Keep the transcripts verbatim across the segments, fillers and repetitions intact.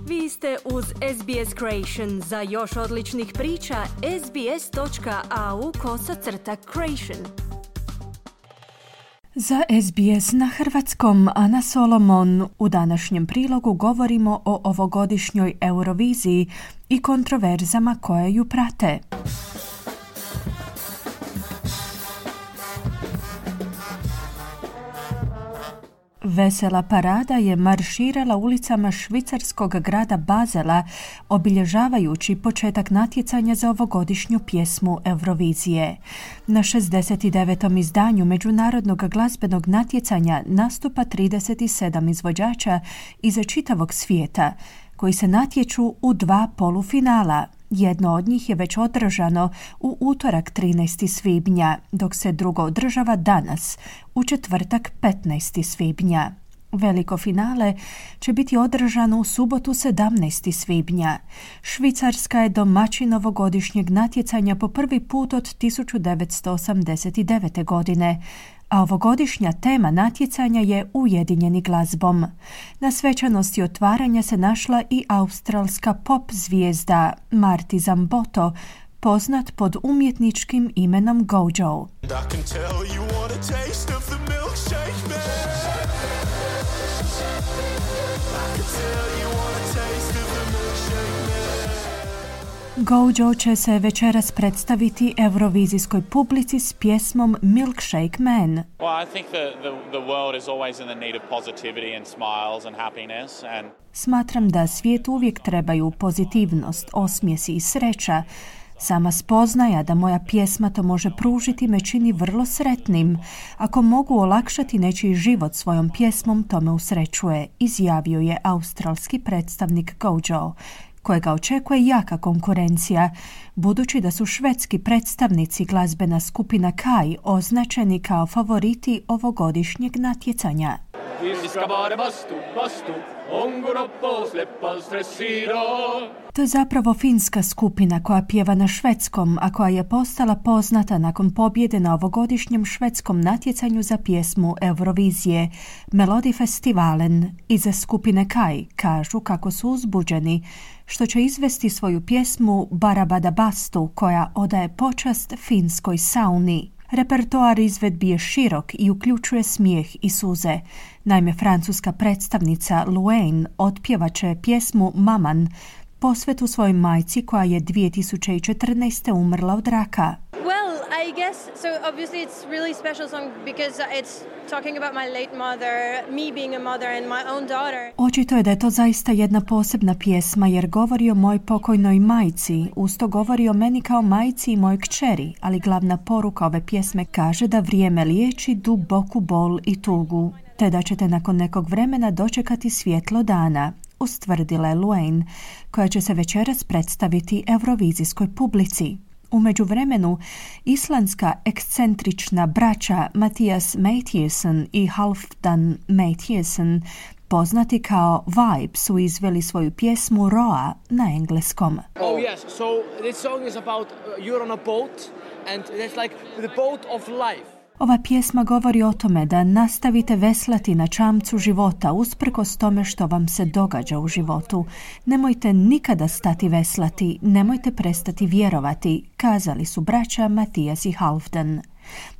Vi ste uz S B S Creation. Za još odličnih priča, sbs.au kosacrta creation. Za S B S na hrvatskom Ana Solomon. U današnjem prilogu govorimo o ovogodišnjoj Euroviziji i kontroverzama koje ju prate. Vesela parada je marširala ulicama švicarskog grada Bazela, obilježavajući početak natjecanja za ovogodišnju pjesmu Eurovizije. Na šezdeset devetom izdanju međunarodnog glazbenog natjecanja nastupa trideset sedam izvođača iz čitavog svijeta, koji se natječu u dva polufinala. Jedno od njih je već održano u utorak trinaestog svibnja, dok se drugo održava danas, u četvrtak petnaestog svibnja. Veliko finale će biti održano u subotu sedamnaestog svibnja. Švicarska je domaćin ovogodišnjeg natjecanja po prvi put od tisuću devetsto osamdeset devete. godine, a ovogodišnja tema natjecanja je Ujedinjeni glazbom. Na svečanosti otvaranja se našla i australska pop zvijezda Marti Zamboto, poznat pod umjetničkim imenom Gojo. Gojo će se večeras predstaviti eurovizijskoj publici s pjesmom Milkshake Man. Well, I think the, the, the world is always in the need of positivity and smiles and happiness and... Smatram da svijet uvijek trebaju pozitivnost, osmijesi i sreća. Sama spoznaja da moja pjesma to može pružiti me čini vrlo sretnim. Ako mogu olakšati nečiji život svojom pjesmom, to me usrećuje, izjavio je australski predstavnik Gojo, kojega očekuje jaka konkurencija, budući da su švedski predstavnici glazbena skupina Kai označeni kao favoriti ovogodišnjeg natjecanja. To je zapravo finska skupina koja pjeva na švedskom, a koja je postala poznata nakon pobjede na ovogodišnjem švedskom natjecanju za pjesmu Eurovizije, Melodifestivalen. Iza skupine Kai kažu kako su uzbuđeni što će izvesti svoju pjesmu Barabadabastu, koja odaje počast finskoj sauni. Repertoar izvedbi je širok i uključuje smijeh i suze. Naime, francuska predstavnica Luane otpjevaće pjesmu Maman, posvetu svojoj majci koja je dvije tisuće četrnaeste. umrla od raka. Well, I guess so obviously it's really special song because it's talking about my late mother, me being a mother and my own daughter. Očito je da je to zaista jedna posebna pjesma jer govori o mojoj pokojnoj majci, usto govori o meni kao majci i mojoj kćeri, ali glavna poruka ove pjesme kaže da vrijeme liječi duboku bol i tugu, te da ćete nakon nekog vremena dočekati svjetlo dana, ustvrdila je Luane, koja će se večeras predstaviti eurovizijskoj publici. U međuvremenu, islandska ekscentrična braća Mattias Mathiesen i Halfdan Mathiesen, poznati kao Vibe, su izveli svoju pjesmu Roa na engleskom. Oh yes, so this song is about uh, you're on a boat and it's like the boat of life. Ova pjesma govori o tome da nastavite veslati na čamcu života usprkos tome što vam se događa u životu. Nemojte nikada stati veslati, nemojte prestati vjerovati, kazali su braća Mattias i Halfdan.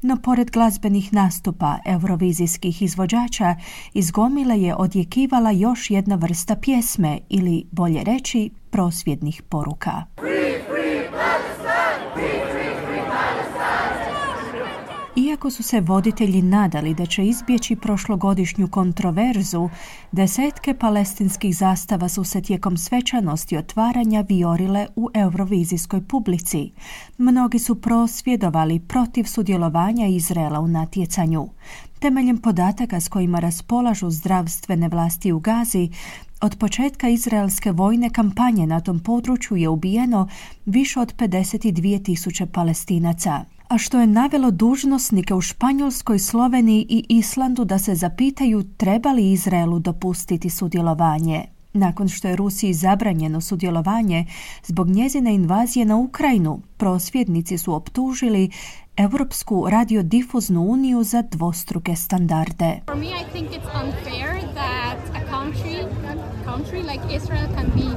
No pored glazbenih nastupa eurovizijskih izvođača, iz gomile je odjekivala još jedna vrsta pjesme ili, bolje reći, prosvjednih poruka. Free, free Palestine! Free, free, free Palestine! Iako su se voditelji nadali da će izbjeći prošlogodišnju kontroverzu, desetke palestinskih zastava su se tijekom svečanosti otvaranja vijorile u eurovizijskoj publici. Mnogi su prosvjedovali protiv sudjelovanja Izraela u natjecanju. Temeljem podataka s kojima raspolažu zdravstvene vlasti u Gazi, od početka izraelske vojne kampanje na tom području je ubijeno više od pedeset dvije tisuće Palestinaca, a što je navelo dužnosnike u Španjolskoj, Sloveniji i Islandu da se zapitaju treba li Izraelu dopustiti sudjelovanje. Nakon što je Rusiji zabranjeno sudjelovanje zbog njezine invazije na Ukrajinu, prosvjednici su optužili Europsku radiodifuznu uniju za dvostruke standarde. For me, I think it's unfair that a country, country country like Israel can be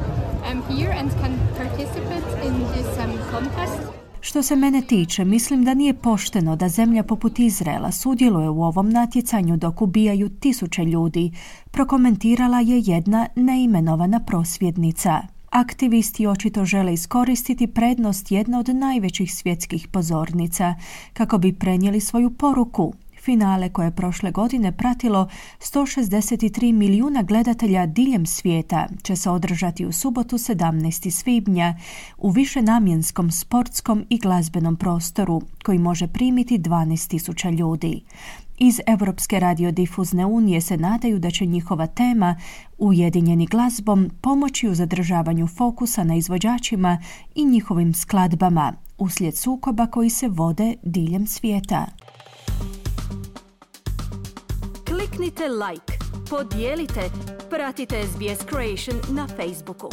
um, here and can participate in this um, contest. Što se mene tiče, mislim da nije pošteno da zemlja poput Izraela sudjeluje u ovom natjecanju dok ubijaju tisuće ljudi, prokomentirala je jedna neimenovana prosvjednica. Aktivisti očito žele iskoristiti prednost jedne od najvećih svjetskih pozornica kako bi prenijeli svoju poruku. Finale koje je prošle godine pratilo sto šezdeset tri milijuna gledatelja diljem svijeta će se održati u subotu sedamnaestog svibnja u višenamjenskom sportskom i glazbenom prostoru koji može primiti dvanaest tisuća ljudi. Iz Europske radiodifuzne unije se nadaju da će njihova tema, ujedinjeni glazbom, pomoći u zadržavanju fokusa na izvođačima i njihovim skladbama uslijed sukoba koji se vode diljem svijeta. Kliknite like, podijelite, pratite S B S Creation na Facebooku.